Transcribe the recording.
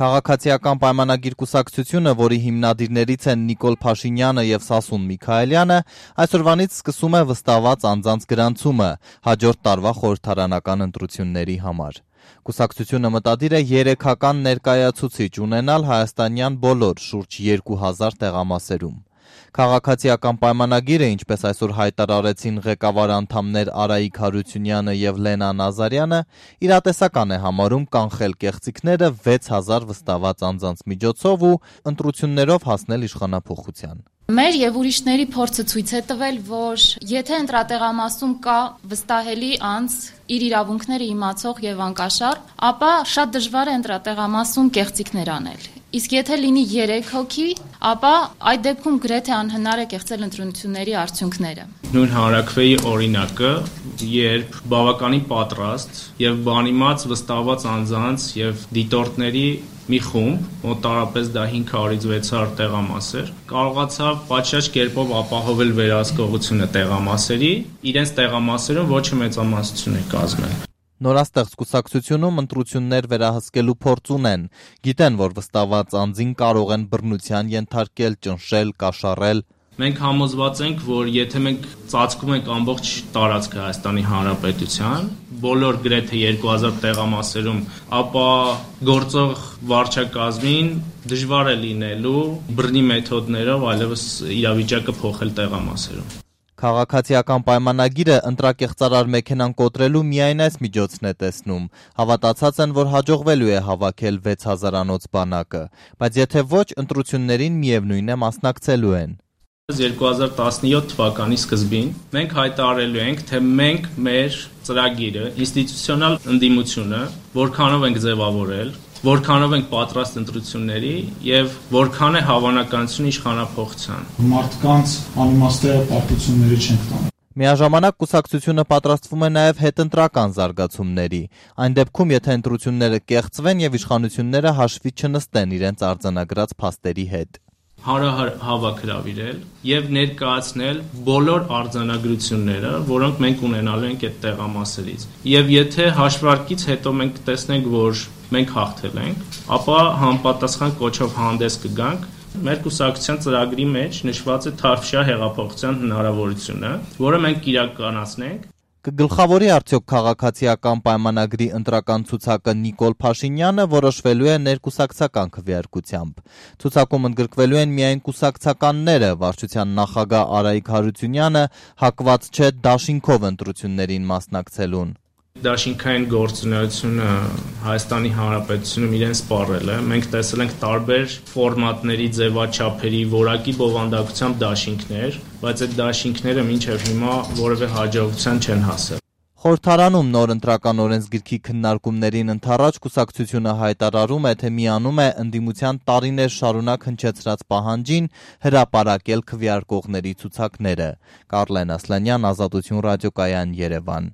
Քաղաքացիական պայմանագիր կուսակցությունը, որի հիմնադիրներից են Նիկոլ Փաշինյանը և Սասուն Միքայելյանը, այսօրվանից սկսում է վստահված անձանց գրանցումը հաջորդ տարվա խորհրդարանական ընտրությունների համար։ Կուսակցությունը մտադիր է 3-ական ներկայացուցիչ ունենալ հայաստանյան բոլոր շուրջ 2000 տեղամասերում։ Քաղաքացիական պայմանագիրը, ինչպես այսօր հայտարարեցին ղեկավար անդամներ Արայիկ Հարությունյանը և Լենա Նազարյանը, իրատեսական է համարում կանխել կեղծիքները 6000 վստահված անձանց միջոցով ու ընտրություններով հասնել իշխանափոխության։ Մեր եւ ուրիշների փորձը ցույց է տվել, որ եթե ընտրատեղամասում կա վստահելի անձ, իր իրավունքները իմացող եւ անկաշառ, ապա շատ դժվար է ընտրատեղամասում կեղծիքներ անել։ Իսկ եթե լինի 3 հոգի, ապա այդ դեպքում գրեթե անհնար է կեղծել ընտրությունների արդյունքները։ Նույն հանրաքվեի օրինակը, երբ բավականին պատրաստ եւ բանիմաց վստահված անձանց եւ դիտորդների մի խումբ, մոտարապես դա 500-ից 600 տեղամաս էր, կարողացավ պատշաճ կերպով ապահովել վերահսկողությունը տեղամասերի, իրենց տեղամասերում ոչ մեծամասնություն է կազմել։ Նորաստեղծ կուսակցությունում ընտրություններ վերահսկելու փորձ ունեն, գիտեն, որ վստահված անձին կարող են բռնության ենթարկել, ճնշել, կաշառել։ Մենք համոզված ենք, որ եթե մենք ծածկում ենք ամբողջ տարածքը Հայաստանի Հանրապետության, բոլոր գրեթե 2000 տեղամասերում, ապա գործող վարչակազմին դժվար է լինելու բռնի մեթոդներով այլևս իրավիճակը փոխել տեղամասերում։ Քաղաքացիական պայմանագիրը ընտրակեղծարար մեքենան կոտրելու միայն այս միջոցն է տեսնում, հավատացած են, որ հաջողվելու է հավաքել 6000-անոց բանակը, բայց եթե ոչ, ընտրություններին միևնույն է մասնակցելու են։ 2017 թվականի սկզբին մենք հայտարարելու ենք, թե մենք մեր ծրագիրը, ինստիտուցիոնալ ընդդիմությունը, որքանով ենք ձևավորել, որքանով ենք պատրաստ ընտրությունների եւ որքան է հավանականությունը իշխանափոխության։ Մարդկանց անիմաստեղ պարտությունների չենք տանում։ Միաժամանակ կուսակցությունը պատրաստվում է նաև հետընտրական զարգացումների, այն դեպքում, եթե ընտրությունները կեղծվեն եւ իշխանությունները հաշվի չնստեն իրենց արձանագրած փաստերի հետ։ Հարահար հավաքրավիրել եւ ներկայացնել բոլոր արձանագրությունները, որոնք մենք ունենալու ենք այդ տեղամասերից։ Եվ եթե հաշվարկից հետո մենք տեսնենք, որ մենք հաղթել ենք, ապա համապատասխան կոչով հանդես կգանք։ Մեր կուսակցության ծրագրի մեջ նշված է թավշյա հեղափոխության հնարավորությունը, որը մենք կիրականացնենք։ Կգլխավորի արդյոք քաղաքացիական պայմանագրի ընտրական ցուցակը Նիկոլ Փաշինյանը, որոշվելու է ներկուսակցական քվեարկությամբ։ Ցուցակում ընդգրկվելու են միայն կուսակցականները, վարչության նախագահ Արայիկ Հարությունյանը հակված չէ դաշինքով ընտրություններին մասնակցելուն։ Դաշինքային գործունեությունը Հայաստանի Հանրապետությունում իրեն սպառել է։ Մենք տեսել ենք տարբեր ֆորմատների, ձևաչափերի, որակի բովանդակությամբ դաշինքներ, բայց այդ դաշինքները մինչև հիմա որևէ հաջողության չեն հասել։ Խորհրդարանում նոր ընտրական օրենսգիրքի քննարկումներին ընդառաջ կուսակցությունը հայտարարում է, թե միանում է ընդդիմության տարիներ շարունակ հնչեցրած պահանջին հրապարակել քվեարկողների ցուցակները։ Կարլեն Ասլանյան, Ազատություն ռադիոկայան, Երևան։